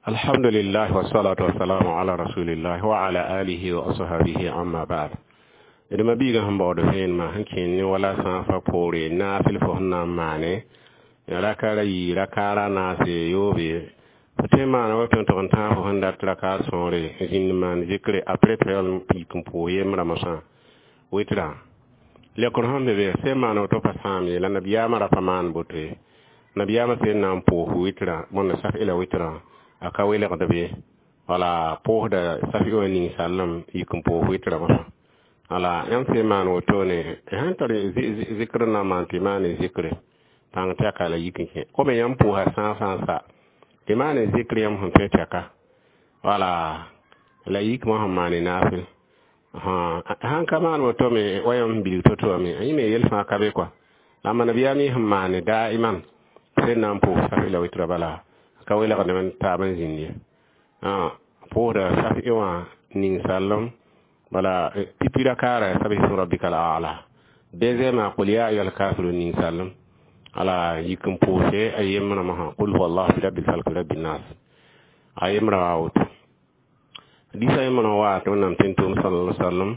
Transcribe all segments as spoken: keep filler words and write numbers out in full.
Alhamdulillah wassalatu wassalamu ala rasulillah wa ala alihi wa ashabihi amma ba'd. D ma-biigã sẽn baood vẽenemã sẽn kẽen ne wala sãafã poore naafɩl fo sẽn na n maane raka yi rakaara naase yoobe fo tõe n maana woto n tog n tãag fo sẽn dat rakaar sõore n zĩnd n maan zikre apres tɩ yaool n yik n pʋʋs yembrã mosã wɩtrã lekr sẽn be be sẽn maan woto pa sãam ye la nabiyaamã ra pa maan boto ye nabiyaamã sẽn na n pʋʋs wɩtrã bõnda saf la wɩtrã a ka welgd be wala pʋʋsda saf wã ning-sallem yik n pʋʋs wɩtrã mosã wala yãmb sẽn maan wotone sãn tar zikr na n maan tɩ maane zikre pãng tɛka la yik n kẽ kome yãmb pʋʋsa sã sã n sa tɩ maane zikr yãmb sẽn tõe tɛka wala la yikmã sẽn maane naafɩl sãn ka maan woto me wa yãmb sẽn bilg to-to wã me yẽ me yel fãa ka be kɔa la nabiyaam yẽ sẽn maane daiman sẽn na n pʋʋs saf la wɩtrã bala ka welgdame n taab n zĩnd ye pʋʋsda saf wã ning-sallem bala pipi rakaara sabbih isma rabbika al-a'la deuxième qul ya ayyuhal kafirun ning-sallem ala yik n pʋʋse a yembrã mosã qul huwa allah bi rabbil falq bi rabbin nas a yembrã wa woto disa yembrã wa tɩ wẽnnaam tẽn-tʋʋm sallallahu alaihi wasallam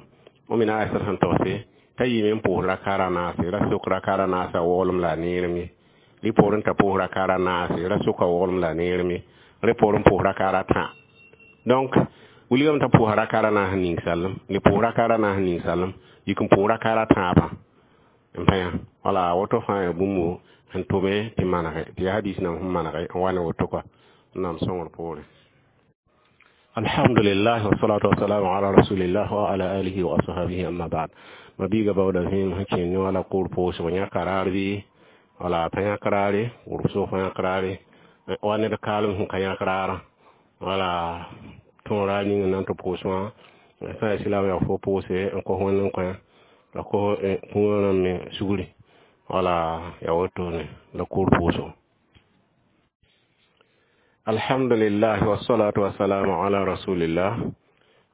wẽn mina Aisha sẽn togse t'a yɩɩme n pʋʋs rakaara naase ra sok rakaara naasã woglem la a neerem ye rɩ poorẽ t'a pʋʋs rakaara naase ra soka woglem la a neerem ye rẽ poorẽ pʋʋs rakaara tã donc wilgame t'a pʋʋsa rakaara naas ning-sallem le pʋʋs rakaara naas ning-sallem yik n pʋʋs rakaara tãabã n pa yã wala woto fãa yaa bũmb sẽn tʋme tɩ manege tɩ yaa hadis nam sẽn manege n wa ne woto kɔa wẽnnaam sõngr poorẽ alhamdulillah wassalatu wassalamu ala rasulillah wa ala alihi wa ashabihi amma ba'd ma-biiga baooda vẽenem sẽn kẽen ne wala kʋʋr pʋʋsg yãka raar bɩ wala pa yãk raare wʋrb pa yãk raare wa ned kaalem sẽn ka yãk raarã wala tõora ning n na n tɩ pʋʋs wã sã yaa silaam yaa fo pʋʋse n kos wẽnd n kõ la kos kũunã rãmb me sugri wala yaa wotone la kʋʋr pʋʋsgo alhamdulillah wassalatu wassalamu ala rasulillah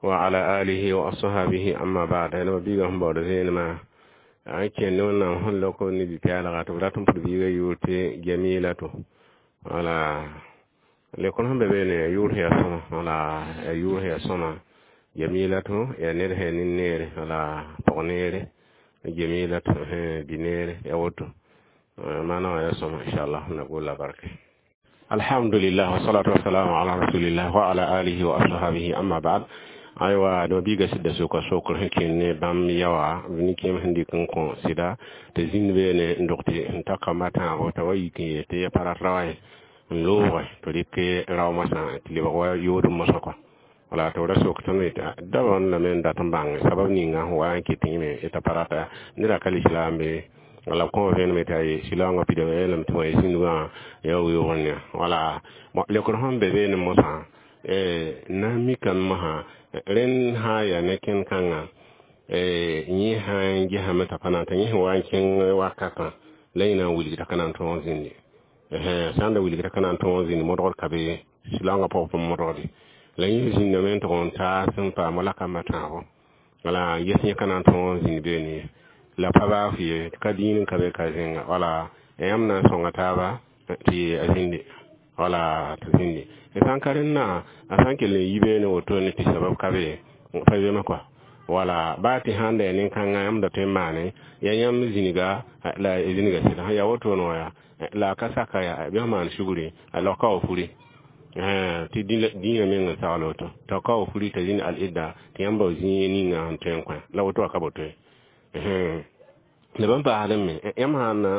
wa ala alihi wa ashabihi amma ba'd ma biiga sẽn baood vẽenemã n kẽnd ne wẽnnaam sẽn lok ne bi-pɛɛlga tɩ b rat n pʋd biigã yʋʋr tɩ jamilatu wala lekr sẽn be beene yaa yʋʋr sẽn yaa sõma wala yaa yʋʋr sẽn yaa sõma jamilatu yaa ned sẽn yaa nin-neere wala pɔg-neere jamilatu bi-neere yaa woto maana wã yaa sõma inchallah na golla barke alhamdulillah wassalatu wassalamu ala rasulillah wa ala alihi wa ashabihi amma ba'd aywa do biiga sɩda soka sokr sẽn kẽnd ne bãmb yaoa nin-kẽem sẽn dɩk n kõ sɩda tɩ zĩnd beene n dog tɩ n ta kamba tãabo t'a wa yik n yeel tɩ ya pa rat ra wã n looge tɩ rɩk rao mosã tɩ lebg wa yoodem mosã kɔa wala tɩ b ra sok tõnd dabã lame n dat n bãng sabab ninga sẽn wa n kɩt yẽme t'a pa rata neda ka lislaam be wala b kõ vẽenem t'a ye silaoongã pidame lame tɩ wã zĩndgã yaa weoogr ne wala lekr sẽn be beene mosã na n mikame mosã rẽnd sã n yaa ne kẽnd-kãngã yẽ sã n gesame t'a pa na n t'a yẽ sẽn wa n kẽng wakatã la yẽ na n wilgda ka na n tõog zĩndi sã n da wilgda ka na n tõog zĩnd modgd ka be silaoongã pʋgẽ pʋm modgde la yẽ zĩndame n tʋg n taas n paam wala kamba tãabo wala ges yẽ ka na n tõog zĩnd beene ye la pa baaf ye ka dĩin n ka be ka zẽnga wala yãmb na n sõnga taaba tɩ a zĩndi wala tɩ zĩndi sã n ka rẽndã a sã n kell n yi beene wotone tɩ sabab ka be pa zema kɔa wala baa tɩ sãn da yaa nin-kãngã yãmb da tõe n maane yaa yãmb zĩniga la zĩniga sɩda sẽn yaa wotone wã yaa la a ka saka yaa bɩ f maan sugri la ka wa furi tɩ dĩinã meng n sagl woto t'a ka wa furi t'a zĩnd al-idda tɩ yãmb bao zĩig ninga sẽn tõe n kõ la woto wã ka boto ye la bãmb paasdẽ me yãmb sã n na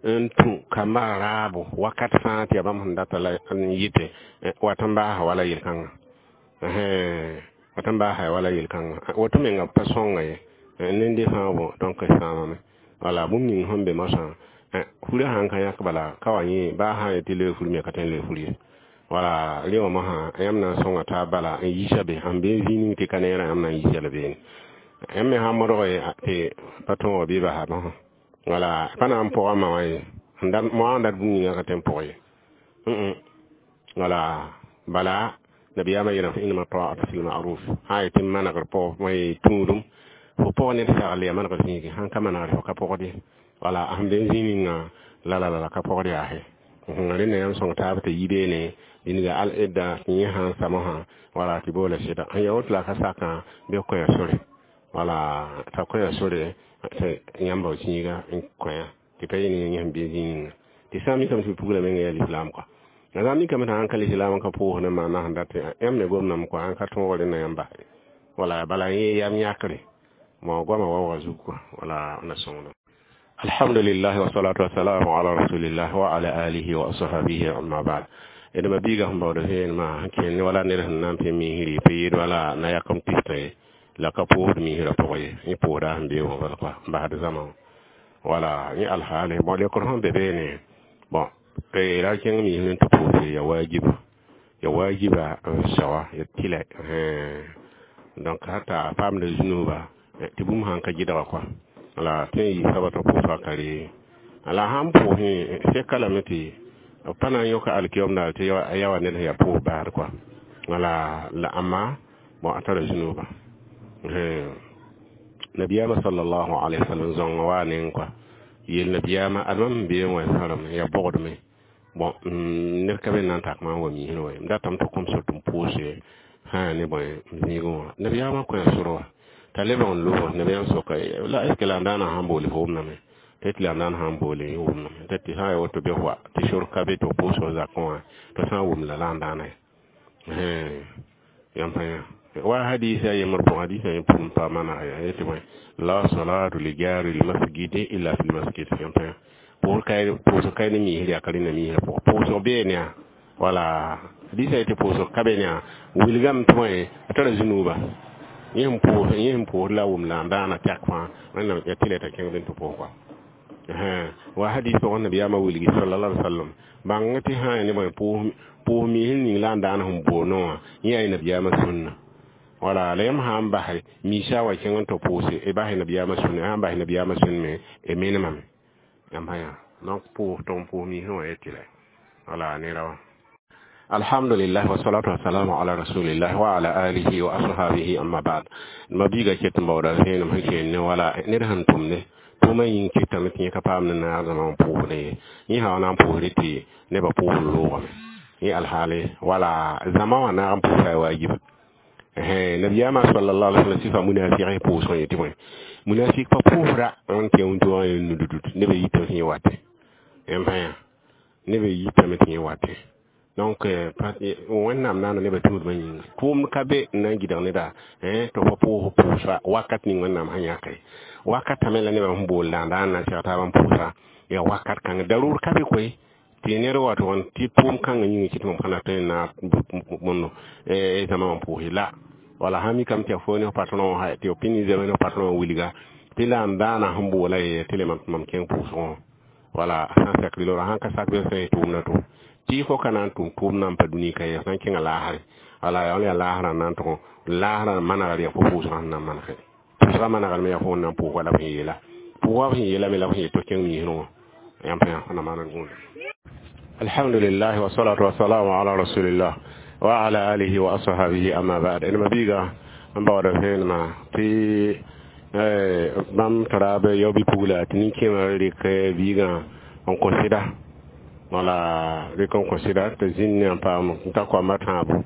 n tũ kamba raabo wakat fãa tɩ yaa bãmb sẽn data la n yɩte wat n baasa wala yel-kãngã wat n baasa wala yel-kãngã woto menga pa sõnga ye nende fãa bõ donc sãamame wala bũmb ning sẽn be mosã furã sãn ka yãk bala ka wa yẽ baa sã n yetɩ loe fur me ka tõe n loe fur ye wala rẽ wã mosã yãmb na n sõnga taab bala n yiisa be sẽn be zĩig ning tɩ ka neerã yãmb na n yiisa la beene yãmb me sã n modg tɩ pa tõog bɩ basa mosã wala pa na n pʋga ma wã ye moa n dat bũmb ninga ka tõe n pʋg ye wala bala nabiyaamã yeelame innama ta'atu fil ma'ruf sã n yetɩ manegr pʋg tũudum fo pʋg ned sagl yaa manegr zĩigi sãn ka manegr fo ka pʋgd ye wala sẽn be zĩig ninga la la la ka pʋgd yaa Rẽnda yãmb sõng taab tɩ yi beene dĩnga al-idda tɩ yẽ sã n samosã wala tɩ boola sɩda sẽn ya woto la ka sakã bɩ kõya sore wala t'a kõya sore tɩ yãmba zĩiga n kõya tɩ pa yẽ ne yẽ sẽn be zĩig ninga tɩ sã n mikame tɩ pugla menga yaa lislaam kɔa la sã n mikame tɩ sãn ka lislaam n ka pʋʋsd n maana sẽn dat yãmb me gomdame kɔa sãn ka tõog rẽnda yãmb basɛ wala bala yẽ yam yãkre mo goama waoogã zug kɔa wala na sõngda. Alhamdulillah, wassalatu wassalamu ala rasulillah wa ala alihi wa ashabihi, amma ba'd. D ma biiga sẽn baood vẽenemã sẽn kẽnd wala ned sẽn na n pẽ misri pa yeel wala na yakem pistã ye la ka pʋʋsd misrã pʋgẽ ye yẽ pʋʋsda sẽn bee wã bala kɔa n basd zãma wala yẽ alhaale. Bon, lekr sẽn be beene, bon, ra kẽng misr n tɩ pʋʋse ya wajiba ya wajiba n sawa ya tɩlɛ. Donc hata paamda zũnuba tɩ bũmb sãn ka gɩdga kɔa la tõe n yɩ soaba tɩ pʋʋsga ka re la sãn pʋʋsẽ seka lame tɩ b pa na n yõka alkiyom daar tɩ ya wa ned sẽn yaa pʋʋs baasd kɔa wala la ãmba. Bon, a tara zũnuba. Nabiyaamã sallallahu alaihi wasallam zãongã waa neng kɔa yel nabiyaamã adma sẽn bee n wa sãrem ya bogdme. Bon, ned ka be n na n tak maam wa misrẽ wa ye m datame tɩ kõm sor tɩ m pʋʋse sã ne bõe zĩigẽ wã. Nabiyaamã kõa sor wa t'a lebg n loog nabiyaam soka la est ce que la n daana sãn boole fo wʋmdame tɩ tɩ la n daan sãn boole yẽ wʋmdame tɩ tɩ sã n ya woto bɩ wa tɩ sor ka be tɩ f pʋʋsg zakẽ wã tɩ sã n wʋm la la n daana yãmb pa yã wa hadisa yembr pʋgẽ hadisa yẽ pʋm pa maneg ya yetɩ bõe la salatu li jari lmasjidi illa fi lmasjid. Yãmb pa yã pʋʋsg ka ne misr yaa ka rẽnda misrã pʋgẽ pʋʋsg beene yaa wala hadisa yetɩ pʋʋsg ka be ne yaa wilgame tɩ bõe a tara zũnuba yẽ sẽn pʋʋs yẽ sẽn pʋʋsd la wʋm la n daana tɛk fãa wẽnnaam ya tɩ la t'a kẽng bɩ tɩ pʋʋs kɔa wa hadis pʋgẽ nabiyaamã wilgi sallallahu alaihi wasallam bãng tɩ sã n ne bõe pʋʋs misr ning la n daan sẽn boonẽ wã yẽ yaa nabiyaamã sũnna wala la yãmb sã n basɛ miisã wa kẽng n tɩ pʋʋse y basɛ nabiyaamã sũnna sã n basɛ nabiyaamã sũn me y menemame yãmb sã yã. Donc pʋʋs tɩ n pʋʋs misrẽ wã yetɩ la wala nera wã. Alhamdulillah, wassalatu wassalamu ala rasulillah wa ala alihi wa ashabihi, amma ba'd. Ma biiga ket n baooda vẽenem sẽn keen ne wala ned sẽn tʋmde tʋʋmã yĩng kɩtame tɩ yẽ ka paam ne naadmã n pʋʋsdẽ ye yẽ sã wa na n pʋʋsdẽ tɩ nebã pʋʋsd loogame yẽ alhaale wala zãma wã naag n pʋʋsa ya wajiba. Nabiyaamã sallallahu alaihi wasallam sifa munafiq pʋʋsgẽ yetɩ bõe munafik pa pʋʋsda n tɩ wĩntoogã ye nududud nebã yitame tɩ yẽ watẽ yãmb sã yã nebã yitame tɩ yẽ watẽ. Donc wẽnnaam naana nebã tũudmã yĩnga tʋʋmd ka be n na n gɩdg neda tɩ fo pʋʋs pʋʋsa wakat ning wẽnnaam sẽn yãke wakat tame la nebã sẽn bool daan daan na n seg taab n pʋʋsa ya wakat kãngã darur ka be koe tɩ ned wa tʋg tɩ tʋʋm kãngã yĩnga kɩ tɩ mam sã tõe n na bõndo zãma wã pʋʋse la wala sã mikame tɩ ya fo ne f patron wã tɩ f pĩnd zame ne f patron wã wilga tɩ la n daana sẽn boola ye tɩ le mam kẽng pʋʋsgẽ wala sã n sak lora sãn ka sak bɩ sã tʋʋmda tʋ tɩ fo ka na n tʋm tʋʋm na n pa dũni ka ye sã n kẽngã laasre wala yaa yaa laasrã n na n tʋg laasrã manegr yaa fo pʋʋsgã sẽn na n manegɛ pʋʋsgã manegr me yaa fo n na n pʋʋs wala b sẽn yeela pʋʋsgã b sẽn yeela me la b sẽn yet tɩ kẽng misrẽ wã yãmb pa yã na maan gũuda. Alhamdulillah, wassalatu wassalamu ala rasulillah wa ala alihi wa ashabihi, amma ba'd. En mabiga n baooda vẽenemã tɩ bãmb tara b yao bɩ-pugla tɩ nin-kẽemã rɩk biigã n kõ sɩda wala rɩk n kõ sɩda tɩ zĩnd ne n paam n ta koamba tãabo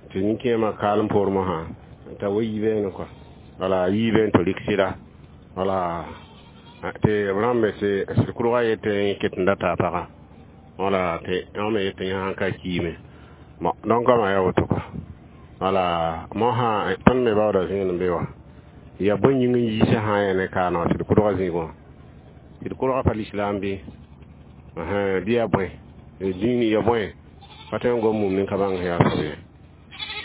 tɩ nin-kẽemã kaalem poor mosã t'a wa yibeene kɔa wala yiibeen tɩ rɩk sɩda wala tɩ b rãmbe tɩ sɩd kʋrga yetɩ ket n data a pagã wala tɩ yã me yetɩ yẽ sãn ka kiime. Bon, donc goamã yaa woto kɔa wala mosã tõnd me baooda zẽen be wa ya bõe yĩng n yiisã sã n yaa ne kaana wã tɩ d kʋdga zĩig wã tɩ d kʋdga pa lislaam bɩ bɩ yaa bõe dĩin ya bõe pa tõe n gom mum nin ka bãng yaa soab ye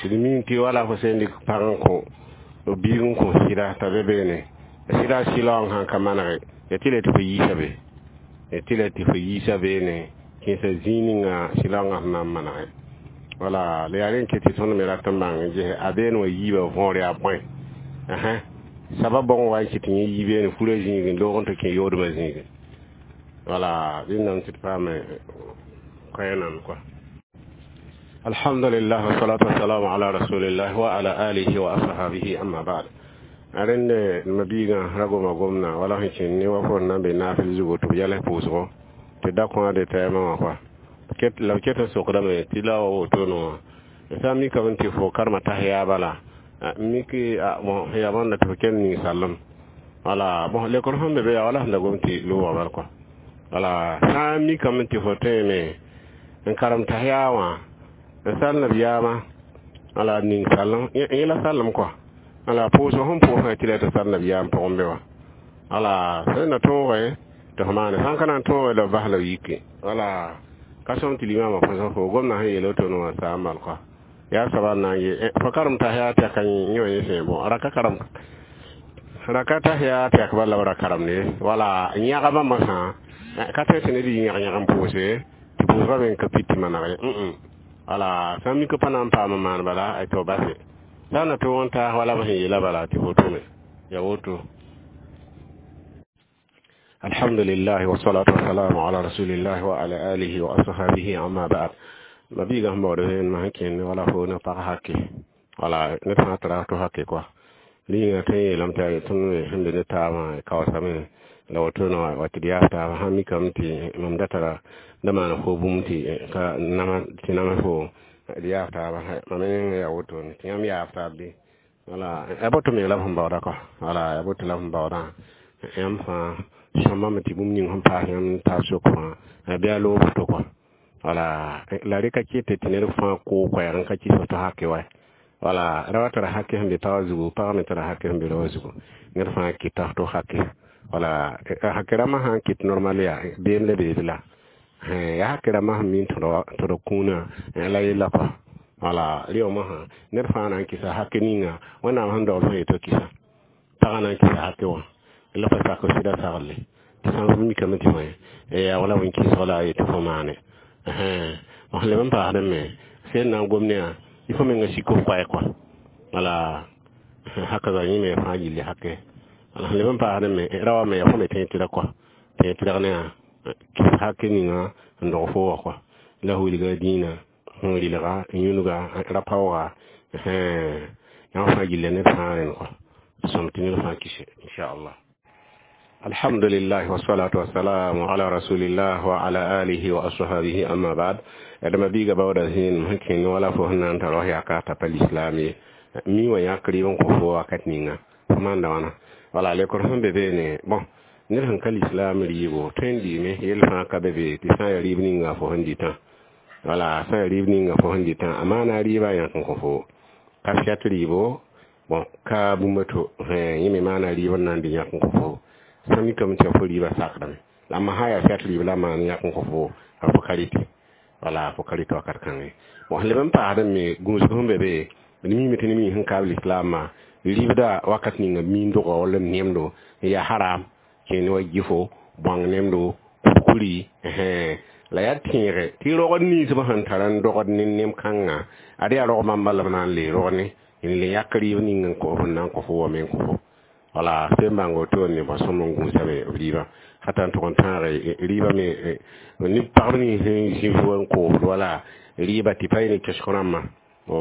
tɩ d ming tɩ wala fo sẽn dɩk pag n kõ biig n kõ sɩda t'a be beene sɩda sɩlaoong sãn ka manege ya tɩ la tɩ fo yiisa be ya tɩ la tɩ fo yiisa beene kẽesa zĩig ninga sɩlaoongã sẽn na n manege wala la yaa rẽn ket tɩ tõnd me rat n bãng n ges a been wã yiibã võor yaa bõe sabab bõng wa n kɩt yẽ yi beene furã zĩigẽ loog n tɩ kẽ yoodmã zĩigẽ wala rẽndame tɩ d paame koɛɛ nan kɔa. Alhamdulillah, wassalatu wassalamu ala rasulillah wa ala alihi wa ashabihi, amma ba'd. Rẽnd ma biigã ra goma gomna wala sẽn kẽnd ne wa fo n na n be naafɩl zugo tɩ b yɛls pʋʋsgo. Tɩ da kõ de tɛɛmã wã kɔa la b ket n sokdame tɩ la wa wotone wã sã n mikame tɩ fo karema tas yaa bala miki bon yaa bõnda tɩ fo kell ning sallem wala bon lekr sẽn be be yaa wala sẽn da gom tɩ loogã bal kɔa wala sã n mikame tɩ fo tõeme n karem tas yaa wã n sal nabiyaamã wala ning sallem yẽla sallem kɔa wala pʋʋsg sẽn pʋʋsã tɩ la tɩ sal nabiyaam pʋgẽ be wã wala sẽn na tõoge tɩ f maane sãn ka na n tõoge la b bas la b yike wala ka sõm tɩ limamã põsg fo gomdã sẽn yeel woto wã saam bal kɔa yaa soaba n na n ye fo karem tas yaa tɛka yẽ wã yẽ sẽ bon raka karem raka tas yaa tɛk bala b ra karemde wala yãgba masã ka tõe tɩ ned yɩ yãg-yãg n pʋʋse tɩ pʋʋsgã me n ka pit tɩ maneg ye wala sã n mik pa na n paam n maan bala tɩ b base sã n na tõog n taas wala b sẽn yeela bala tɩ fo tʋme ya woto. الحمد لله والصلاة والسلام على رسول الله وعلى آله وأصحابه أما بعد ma biiga sẽn baood vẽenemã sẽn kẽnd wala fo ne pag hake wala ned fãa tara to hake kɔa rĩnga tõe n yeelame tɩ tõnd me sẽn be ne taabã kaoosame la woto no wa tɩ d yaas taaba sãn mikame tɩ mam da tara da maan fo bũmb tɩ ka nama tɩ nama fo d yaas taaba mam me ninga yaa wotone tɩ yãmb yaas taab bɩ wala ya boto me la b sẽn baooda kɔa wala ya boto la b sẽn baoodã yãmb fãa sõmbame tɩ bũmb ning sẽn paas yãmb taab sok fãa bɩ a loog to kɔa wala la rɩka kɩtɛ tɩ ned fãa koo koɛɛg n ka kɩs tɩ hake wa wala ra wa tara hake sẽn be pagã zugu pagã me tara hake sẽn be raoã zugu ned fãa kɩta to hake wala hake rãmbã sã n kɩt normal yaa beem la beed la yaa hake rãmbã sẽn min tɩ d kũunã la yella kɔa wala rɩ wã ned fãa na n kɩsa hake ninga wẽnnaam sẽn dogl fo yeto kɩsa pagã na n kɩsa hake wã la fa sak sɩda sagle tɩ sã n mikame tɩ fõe yaa wala wẽn-kɩsg la a yetɩ fo maane sẽn leb n paasdẽ me sẽn na n gom ne yã il faut menga sik f koɛɛ kɔa wala haka za yẽ me fãa gilli hake wala sẽn leb n paasdẽ me ra wa me ya fo me tẽ tɩra kɔa tẽ tɩrg ne yã kɩs hake ninga n dog fo wã kɔa la wilga dĩinã sẽn rɩlga n yũnuga ra paooga yãmb fãa gilla ned fãa rẽnd kɔa sõm tɩ ned fãa kɩse inchallah. الحمد لله والصلاة والسلام على رسول الله وعلى آله وأصحابه أما بعد adama biiga bawda zĩen sẽn kẽnd wala fo sẽn na n tar wa yaka t'a pa lislaam ye mi wã yãk rɩɩb n kõ fo wakat ninga fo maanda wãna wala lekr sẽn be beene bon ned sẽn ka lislaam rɩɩbo tõe n dɩɩme yell fãa ka be be tɩ sã n yaa rɩɩb ninga fo sẽn dɩtã wala sã n yaa rɩɩb ninga fo sẽn dɩtã a maana rɩɩbã yãk n kõ fo ka fiat rɩɩbo bon ka bũmb to yẽ me maana rɩɩb n na n dɩ yãk n kõ fo sã mikame tɩ fo rɩɩbã sakdame la ma sã yaa fiat rɩɩb la maan yãk n kõ fo a fo ka rɩtɩ wala fo ka rɩtɩ wakat kãngẽ bon sẽn leb n paasdẽ me gũusg sẽn be be d miime tɩ ne mi sẽn kaab lislaamã rɩɩbda wakat ninga miindgã wall n nemdo n yaa haram kẽen wa gifo bõang nemdo kurkuri la yaa tẽege tɩ rogd ninsbã sẽn tar n dogd ne nem kãngã ad yaa rog bãmba la b na n le rog ne n le yãk rɩɩb ning n kõ n na n kõ fo wa me n kõ fo wala sẽn bãng woto ne bõ sõm n gũusame b rɩɩbã hata n tʋg n tãage rɩɩbã me ne pagb nins sẽn zĩ fo n koosd wala rɩɩba tɩ pa yẽ ne kesg rãmbã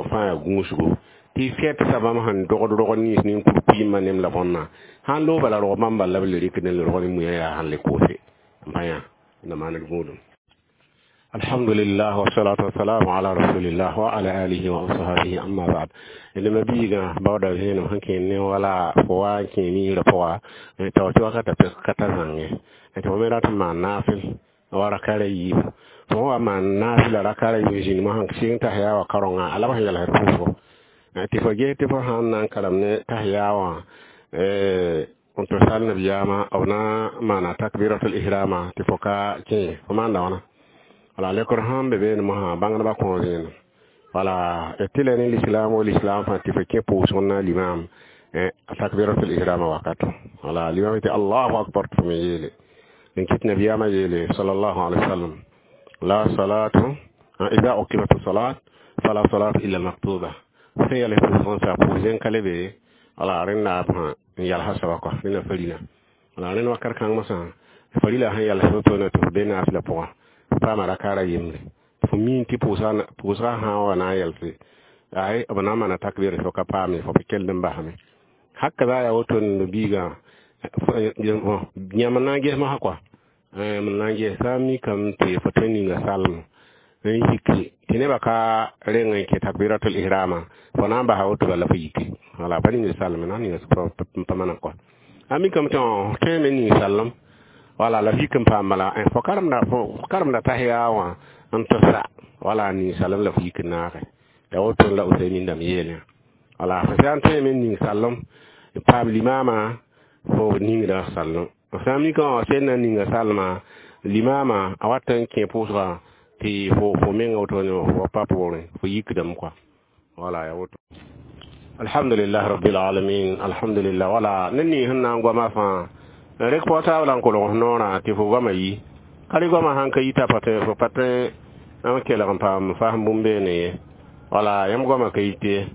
fãa yaa gũusgo tɩ fɛt bãmb sẽn dogd rogd nins ne kurkuiimã nem la bõnna sãn loog bala rog bãmb bala b le rɩkd n le rog ne muya yaa sãn le koose n pa yã na maan d gũudum. الحمد لله والصلاة والسلام على رسول الله وعلى آله وصحبه أما بعد لما بيغا بودا زين هنكين ne wala fo wa kẽe ra pʋga t'a tɩ wakata pek ka ta zãnge tɩ fo me rat n maan naafɩl wa rakara yiib fo wa maan naafɩla rakara yiib zĩnd mosã sɩng tas yaa wã karengã a la b sẽn yɛlsd pʋʋsgo tɩ fo ges tɩ fo sãn na n karem ne tas yaa wã n tɩ sal nabiyaamã b na n maana takbiratul ihrama tɩ fo ka kẽ fo maanda wãna wala lekr sãn be beene mosã bãngdbã kõ zẽenem wala tɩ la ne lislaam wo lislaam fãa tɩ fo kẽ pʋʋsg n na limam takbiratul ihrama wakato wala limam tɩ allahu akbar tɩ fo me yeele n kɩt nabiyaamã yeele sallallahu alaihi wasallam la salatu idha uqimat salat fala salatu illa almaktuba sẽn yɛls pʋʋsg n sa pʋʋs ka le be wala rẽnda b n yalsa soaba kɔ rẽnda farila wala rẽnd wakat kãng mosã farila sẽn yals woto tɩ fo be naafɩla pʋgã paama rakaara yembre fo miin tɩ pʋʋsgã sã n wa na n yɛlse ay b na n maana takbir fo ka paame fo pa kell n basame haka za yaa woto n biigã yãmb na n ges mosã kɔa M na n gesa mikame tɩ fo tõe n ninga salem n yiki tɩ nebã ka reng n kẽ takbiratul ihrama fo na n basa woto bala fo yiki wala pa ning salem na ninga n pa maneg kɔ a mikame tɩ tõe me ning salem wala la f yik n paam bala fo karemda fo karemda tahiya wã n tʋsa wala ning salem la f yik n naage ya woto la Useymin dãmb yeel wala fo sã n tõe me ning salem paam limama fo ningda salem sã n mika wã sẽn na n ninga salma limama a wat n kẽ pʋʋsga tɩ fo fo menga woto fo pa poorẽ fo yikdame kɔa wala ya woto. Alhamdulillah rabbil alamin, alhamdulillah. Wala ne ning sẽn na n goama fãa rek pao taab la n kolg noorã tɩ fo goama yi ka goama sãn ka yita pa fo pa tõe n kelg n paam fasem bũmb beene ye wala yãmb goama ka yit ye.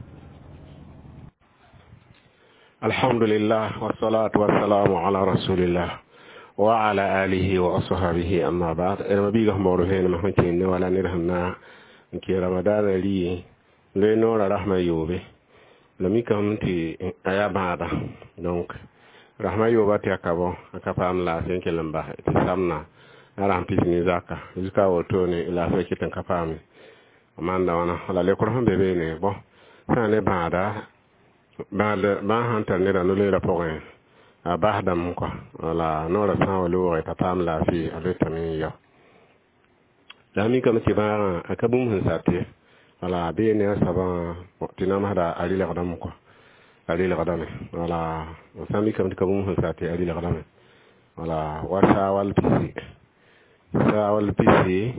Alhamdulillah, wassalatu wassalamu ala rasulillah wa ala alihi wa ashabihi, amma ba'd. Ma biiga sẽn baood vẽenemã sẽn kẽnd wala ned sẽn na n kẽ ramadaanã rɩ loe noorã rasmã yoobe la mikame tɩ a yaa bãada donc rasmã yooba tɩ a ka bõ a ka paam laafɩ n kell n bas tɩ samna a rasm pis ne zaka jusqu'à wotone laafɩ ket n ka paame a maanda wãna wala lekr sẽn be beene bõ sã ne bãada bãad bãa sãn tar neda no-loeerã pʋgẽ a basdame kɔa wala noorã sã n wa loogẽ t'a paam laafɩ a letame n yao la a mikame tɩ bãagã a ka bũmb sẽn sat ye wala bee ne a soabã tɩ namsda a rɩlgdame kɔa a rɩlgdame wala sã n mikame tɩ ka bũmb sẽn sat a rɩlgdame wala wa saawal pisi saawal pisi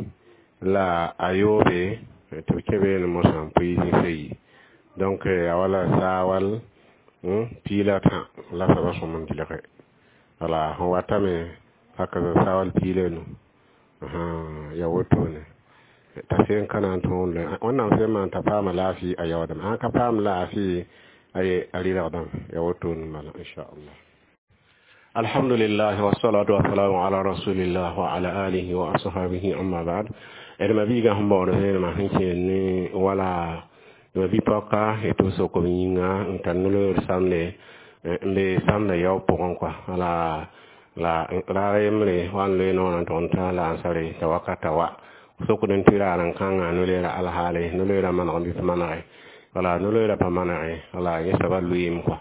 la a yoobe tɩ b kẽ beene mosã n pʋɩ zĩsã yi donc a wala saawal piila tã la soaba sõm n dɩlge wala sẽn watame paka saawal piila nu ya wotone t'a sẽn ka na n tõog wẽnnaam sẽn maan t'a paama laafɩ a yaoodame sãn ka paam laafɩ a rɩlgdame ya wotone bala inchallah. Alhamdulillah, wassalatu wassalamu ala rasulillah wa ala alihi wa ashabihi, amma ba'd. D ma biiga sẽn baood vẽenemã sẽn kẽed ne wala ma bi-pɔka tɩ b sok b yĩnga n tar no-loeer samde n be samda yao pʋgẽ kɔa wala la raar yembre wa n loe noorã n tʋg n tã la ansare t'a wakata wa sokd n tɩ raar n kãngã no-loeerã alhaale no-loeerã maneg bɩ pa manege wala no-loeerã pa manege wala yẽ soaba lʋɩɩm kɔa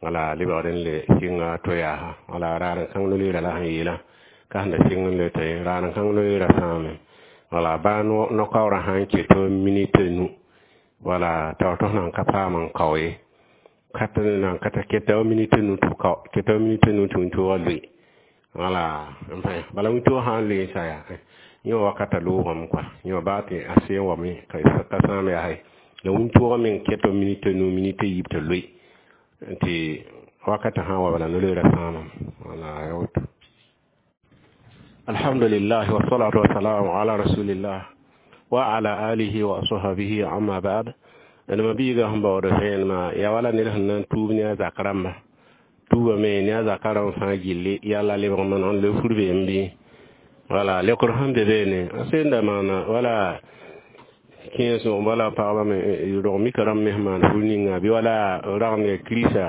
wala lebgd n le sɩnga to yaasa wala raar n kãng no-loeerã la sẽn yeelã ka sẽn da sɩng n le tɩ raar n kãng no-loeerã sãame wala baa no-kaoorã sãn ket minit nu wala t'a tɩ nan ka paam n kao ye ka tɩ nan ka ta keta minit nu tɩ kao keta minit nu tɩ wĩntoogã loe wala n pẽ bala wĩntoog sã n loe n sa yaa yẽ wakata loogame kɔa yẽ wa baa tɩ a seen wame ka sãam yaa la wĩntoogã meng ket minit nu minit yiib tɩ loe tɩ wakata sã n wa bala no-loeerã sãamame wala ya woto. Alhamdulillah, wassalatu wassalamu ala rasulillah wa ala alihi wa ashabihi, amma ba'd. D ma biiga sẽn baood vẽenemã yaa wala ned sẽn na n tuub ne a zak rãmba tuubame ne a zaka rãmb fãa gilli yalla lebg maneg n le fur beem bɩ wala lekr sẽn be beene a senda maana wala kẽes wala pagba me rog mika rãmb me sẽn maan fur ninga bɩ wala ragend ya kirisa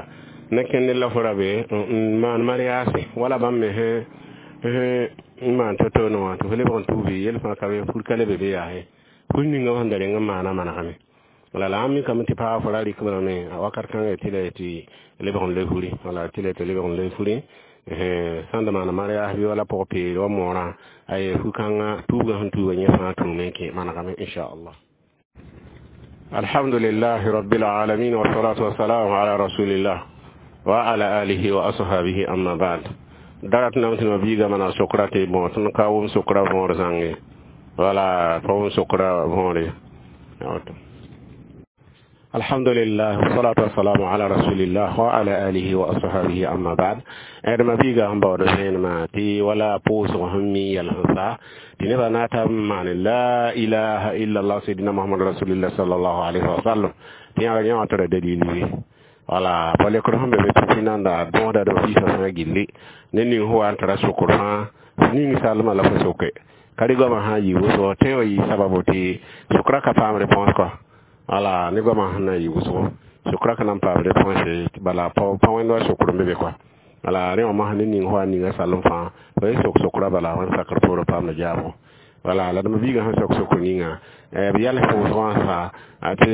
na kẽnd la fo ra be n maan mariaase wala bãmb me sẽn n maan to-to wã tɩ fo lebg n tuubi yel fãa ka be fur ka le be be yaase fur ninga sẽn da reng n maana manegame wala la ãmb mikame tɩ paa fo ra rɩk balame a wakat kãngã tɩ la tɩ lebg n le furi wala tɩ la tɩ lebg n le furi sãn da maana mariaas bɩ wala pʋg peere wa moorã ay fu-kãngã tuubgã sẽn tuuga yẽ fãa tũume n kẽ manegame inchallah. Alhamdulillahi rabbil alamin, wassalatu wassalamu ala rasulillah wa ala alihi wa ashabihi, amma ba'd. Darat nam tɩ ma biiga mana sokra tɩ bõ tõnd ka wʋm sokra võor zãnge wala pa wʋm sokra võore. Alhamdulillah, wassalatu wassalamu ala rasulillah wa ala alihi wa ashabihi, amma ba'd. D ma biiga sẽn baood vẽenemã tɩ wala pʋʋsg sẽn mi yɛl sẽn sa tɩ nebã na n tab n maan la ilaha illallah sayidina Muhammad rasulillah sallallahu alaihi wa sallam tɩ yãga yã wã tara dalil ye wala pa lekr sẽn be be tɩ nanda bõoda d fiisã fãa gilli ne ning sẽn wa n tara sokr fãa ning salmã la fo soke ka rɩ goamã sã n yɩ wʋsgo tõe wa yɩ sababu tɩ sokra ka paam réponse kɔa wala ne goamã sẽn na n yɩ wʋsgo sokra ka na n paam réponse bala pa wẽnd wa sokr n be be kɔa. Wala rẽ wã mosã ne ning fo a ninga salem fãa fo ye sok sokra bala wẽnd sakr poorẽ paamda jaabo wala la d mabiigã sẽn sok sokr ninga b yals pʋʋsg wã sa tɩ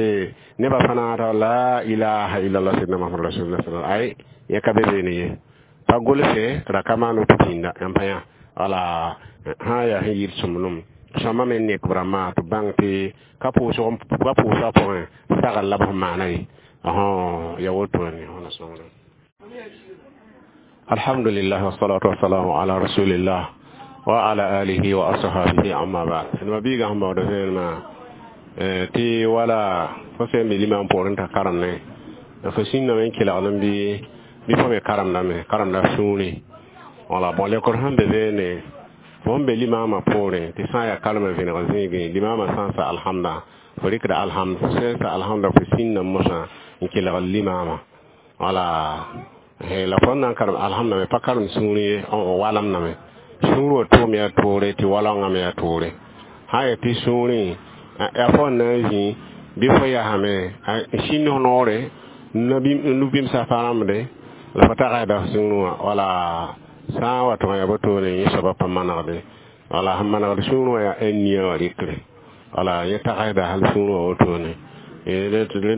nebã fãa t'a la ilaha illallah sidna Muhammad rasulullah sallallahu ay yẽ ka be beene ye pa gʋlse ra ka maan woto pĩnda yãmb pa yã wala sã n yaa sẽn yɩɩd sõmblem sõma me nek b rãmbã tɩ b bãng tɩ ka pʋʋsg ka pʋʋsga pʋgẽ sagl la b sẽn maana ye ya wotone wẽna sõngre. Alhamdulillah wassalatu wassalamu ala rasulillah wa ala alihi wa ashabihi, amma ba'd. Ma biiga sẽn baood vẽenemã tɩ wala fo sẽn be limam poorẽ t'a karemne fo sĩndame n kelgd n bɩ bɩ fo me karemdame karemda sũurẽ wala bõ lekr sẽn be beene fo sẽn be limaamã poorẽ tɩ sã n yaa karemã vẽneg zĩigẽ limaamã sã n sa alhamda fo rɩkda alhamd fo sẽn sa alhamda fo sĩnda mosã n kelgd limaamã wala la fo na n karem alhamda me pa karem sũurẽ ye walamdame sũur wa tʋʋm yaa toore tɩ walaoongã me yaa toore sã n yaa tɩ sũurẽ yaa fo n na n zĩ bɩ fo yasame n sĩnd f noore nu-bĩmsã pa rãmbde la fo tagsda sũurẽ wã wala sã n wa tɩ yaa wotone yẽ soabã pa manegde wala sẽn manegd sũurẽ wã yaa nia wã rɩkre wala yẽ tagsda hal sũurẽ wã wotone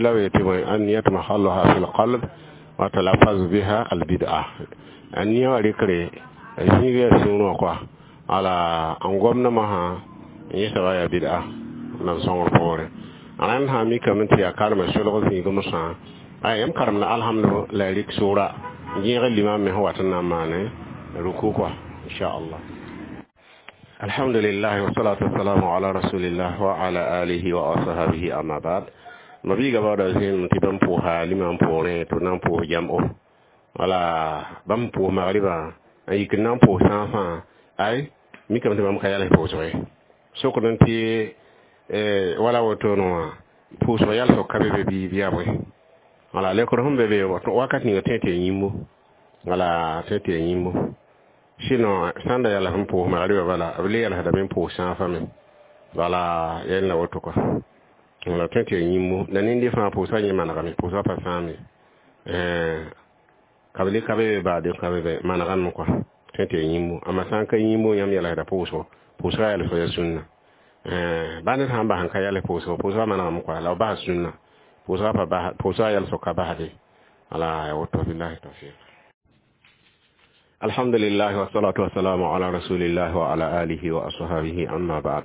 la b yetɩ bõe anniyatu mahalluha fi lqalb wa talafaz biha albid'a a nia wã rɩkre zĩig yaa sũurẽ wã koa wala n gomdã mosã yẽ soabã yaa bid'a nan sõngr poore rãnd sã mikame tɩ yaa karema solg zĩig mosã ay yãmb karemda alhamdu la ya rɩk sʋʋra n gẽeg limam me sẽn wat n na n maane ruku quoi, inchallah. Alhamdulillah wassalatu wassalamu ala rasulillah wa ala alihi wa ashabihi, amma ba'd. Mabiiga baooda zẽenem tɩ bãmb pʋʋsa limam poorẽ tɩ b na n pʋʋs jam'o wala bãmb pʋʋs magriba n yik n na n pʋʋs sãafã ay mikame tɩ bãmb ka yals pʋʋsg ye sokd n tɩ wala wotone wã pʋʋsg yalsg ka be be bɩ yaa bõe wala lekr sẽn be be wakat ninga tõe tɩ ya yĩmbo wala tõe tɩ ya yĩmbo sinon sãn da yals n pʋʋs magriba bala b le yalsdame n pʋʋs sãafã me wala yẽl la woto kɔa wala tõe tɩ ya yĩmbo la nende fãa pʋʋsga yẽ manegame pʋʋsga pa sãame ka b le ka be be baade ka be be manegame kɔa tõe tɩ ya yĩmbo amma sã n ka yĩmbo yãmb yalsda pʋʋsgo pʋʋsga yalsg ya sũnna ba ned sãn bas n ka yals pʋʋsgo pʋʋsga manegame kɔa la b bas sũnna pʋʋsga pa bas pʋʋsga yalsg ka basde wala ya woto billahi tawfiq. Alhamdulillah wassalatu wassalamu ala rasulillah wa ala alihi wa ashabihi, amma ba'd.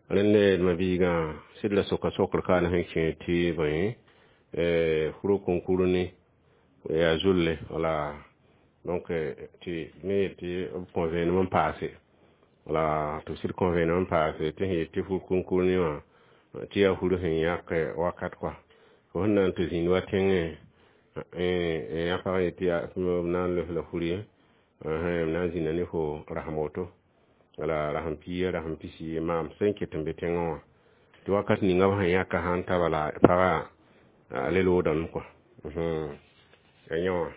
Rẽnde d mabiigã sɩd la soka sokr kaane sẽn kẽ tɩ bõe furu kũnkur ne yaa zulle wala donc tɩ me yet tɩ b kõ vẽenem n paase wala tɩ b sɩd kõ vẽenem n paase tɩ sẽn yet tɩ fur kũnkur ne wã tɩ yaa fur sẽn yãk wakat kɔa fo sẽn na n tɩ zĩnd wa tẽngẽ yã pag yet tɩ yaa b na n los la fur ye b na n zĩnda ne fo rasem woto wala rasem pia rasem pisi maam sẽn ket n be tẽngẽ wã tɩ wakat ninga b sẽn yãka sãn ta bala pagã a le loodame kɔa ya yẽ wã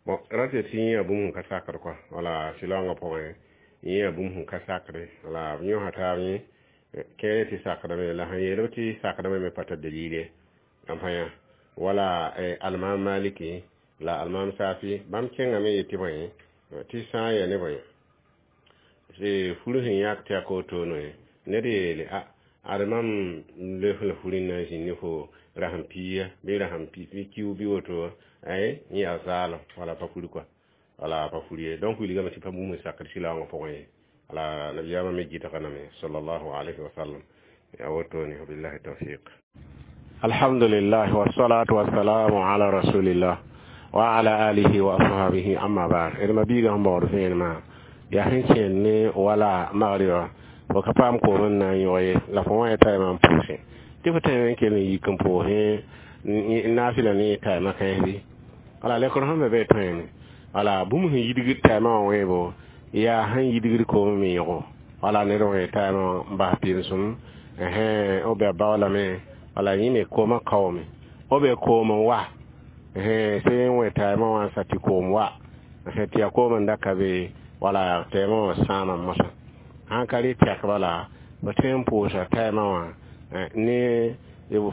bon ra tɩ tɩ yẽ yaa bũmb sẽn ka sakd kɔa wala sɩlaoongã pʋgẽ yẽ yaa bũmb sẽn ka sakde wala b yõsa taab yẽ kẽere tɩ sakdame la sẽn yeel b tɩ sakdame me pa tar dalil ye yãmb pa yã wala almam Maliki la almam Safi bãmb kẽngame yetɩ bõe tɩ sã n yaa ne bõe furu sẽn yãk tɩ yaa ka wotone ned yeele a ad mam les la furi n na n zĩnd ne fo rasem pia bɩ rasem pis bɩ kiu bɩ woto ay yẽ yaa zaalem wala pa furi kɔa wala pa furi ye donc wilgame tɩ pa bũmb n sakd sɩlaoongã pʋgẽ ye wala nabiyaamã me gɩdga name sallallahu alayhi wa sallam yaa wotone billahi tawfiq. Alhamdulillah wassalatu wassalamu ala rasulillah wa ala alihi wa ashabihi, amma ba'd. D mabiigã sẽn baood vẽenemã yaa sẽn kẽend ne wala magriba fo ka paam koom n na n yõg ye la fo wã ya taɩmã n pʋʋsẽ tɩ fo tẽeme n kell n yik n pʋʋsẽ naafɩla ne taɩmã kãens wala lekr sẽn be be tõeeme wala bũmb sẽn yidgd taɩmã wã wẽebo yaa sẽn yidgd koom me yõgo wala ned wã taɩmã wã n bas pɩɩmsem b be a baoolame wala yẽ me koomã kaoome b be koom n wa sẽn wẽ taɩmã wã n sa tɩ koom wa tɩ yaa koom n da ka be wala taɩmã wã sãama mosã sãn ka rɩ tɛk bala b tõe n pʋʋsa taɩmã wã ne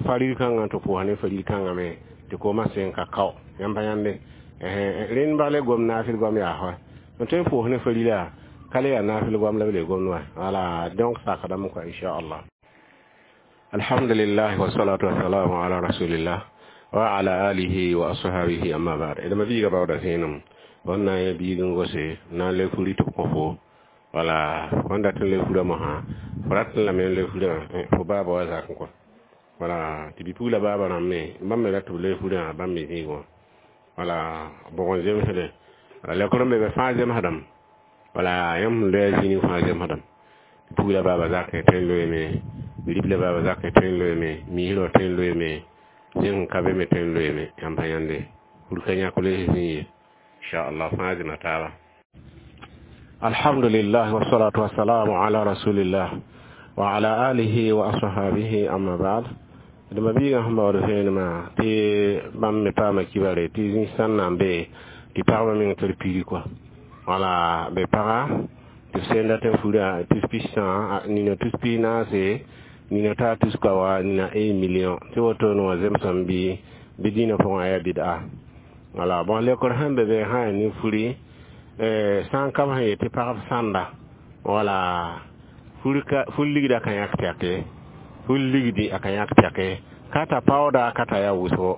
farir kãngã tɩ pʋʋsa ne farir kãngã me tɩ koomã sẽn ka kao yãmb pa yãnde Rẽnd bale gom naafɩl goam yaa fa n tõe n pʋʋs ne farila ka le yaa naafɩl goam la b le gomd wa wala donc sakdame kɔa inchallah. Alhamdulillah wassalatu wassalamu ala rasulillah wa ala alihi wa ashabihi amma ba'd. D ma biiga baooda zẽenem wẽn na n yã biig n gose na n le furi tɩ b kõ fo wala fõn dat n le furã mosã fo ratẽ lame n le furã fo baaba wa zak n kɔ wala tɩ bi-pugla baaba rãmb me bãmb me rat tɩ b le furã bãmb me zĩig wã wala bʋg n zemsde wala lekr n be be fãa zemsdame wala yãmb sẽn loe zĩig fãa zemsdame pugla baaba zakẽ tõe n loeeme bi-ribla baaba zakẽ tõe n loeeme miisrã tõe n loeeme zẽng n ka be me tõe n loeeme yãmb pa yãnde fur ka yãk loes zĩ ye inchallah fãa zẽma taaba. Alhamdulillah wassalatu wassalamu ala rasulillah wa ala alihi wa ashabihi amma ba'd. D ma biigã sẽn baood vẽenemã tɩ bãmb me paama kibare tɩ zĩ sãn na n be tɩ pagba meng tɩ d piri kɔa wala be paga tɩ b sẽn dat n furã tus pis-tã nina tus pis naase nina taa tus kaoa nina un million tɩ wotone wã zemsame bɩ bɩ dĩinã pʋgã yaa bɩda wala bon lekr sẽn be be sã yaa ne furi sã n ka b sẽn yet tɩ pagb sãnda wala fur ligda ka yãk tɛke fur ligdi a ka yãk tɛke ka ta paooda ka ta yaa wʋsgo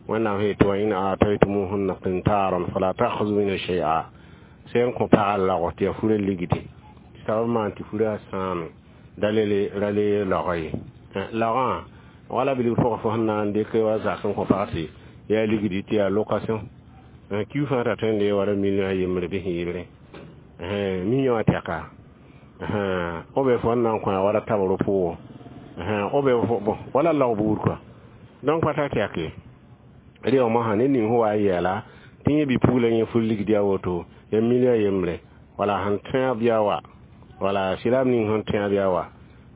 wẽnnaam sẽn yetɩ wa in ataytumuhunna qintaran fala ta'khudhu minhu shay'a sẽn kõ pagã lagf tɩ yaa furã ligdi sabab maan tɩ furã sãame dalele ra le laoga ye laogã wala bilg pʋgã fo sẽn na n dɩk wa zak n kõ pag tɩ yaa ligdi tɩ yaa location kiu fãa ta tõe n dee wala million a yembre bɩ sẽn yɩlrẽ million a tɛka b be fo n na n kõ wala tabr pʋgõ b be bon wala laog buud kɔa donc pa tar tɛk ye rɩ mosã ne ning sẽn wa n yɛɛla tɩ yẽ bi-pugla yẽ fur ligdi a woto ya million yembre wala sẽn tõe bɩa wa wala silam ning sẽn tõe bɩa wa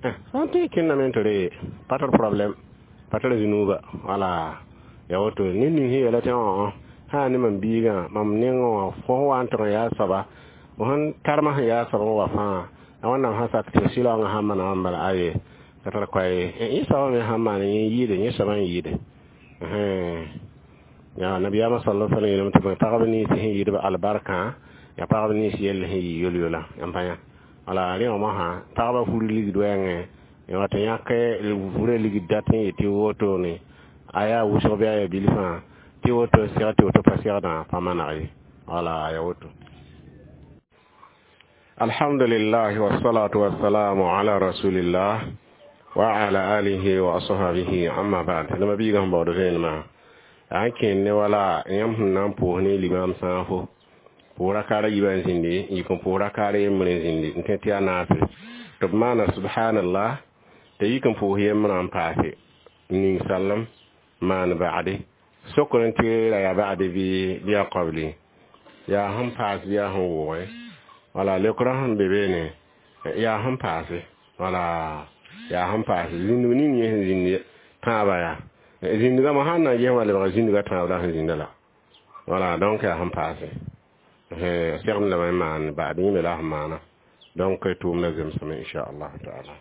sã n tõe kẽndame tɩ re pa tar problème pa tar zĩnuuba wala ya woto ne ning sẽn yeela tɩ õ sã ne mam biigã mam nengẽ wã fo sẽn wa n tɩg n yaa soaba fo sẽn tarmã sẽn yaa soab n wa fãa a wẽnnaam sã sak tɩ sɩlaoongã sãn maana wã bala aye ka tar koa ye yẽ soabã me sãn maan yẽ yɩɩde yẽ soabã n yɩɩde ya nabiyaamã sala sallam yeelame tɩ pagb nins sẽn yɩɩdb albarkã ya pagb nins yell sẽn yɩ yol-yola yãmb pa yã wala rẽ wã mosã pagba fur ligd wɛɛngẽ wa tɩ yãk furã ligd dat n yetɩ wotone a yaa wʋsg bɩ a yaa bilfã tɩ woto seg tɩ woto pa segdã pa maneg ye wala ya woto. Alhamdulillah wassalatu wassalamu ala rasulillah wa ala alihi wa ashabihi amma ba'd. Lama biiga sẽn baood vẽenemã a n kẽnd ne wala yãmb sẽn na n pʋʋs ne limam sãafo pʋʋs rakaara yiibã n zĩndi n yik n pʋʋs rakaara yembre n zĩndi n tẽ tɩ yaa naase tɩ b maana subhanallah t'a yik n pʋʋs yembrã n paase ning sallem maan ba'de sokr n tɩ ra yaa ba'de bɩ bɩ yaa qabli yaa sẽn paas bɩ yaa sẽn wʋgẽ wala lekrã sẽn be beene yaa sẽn paase wala yaa sẽn paase zĩndg ning yẽ sẽn zĩnd tãabã yaa zĩndgã mo sãn na n ges wã lebga zĩndgã tãab la sẽn zĩnda la wala donc yaa sẽn paase segd lame n maan ba'd yẽ me la sẽn maana donc tʋʋmda zemsame inchallah taala.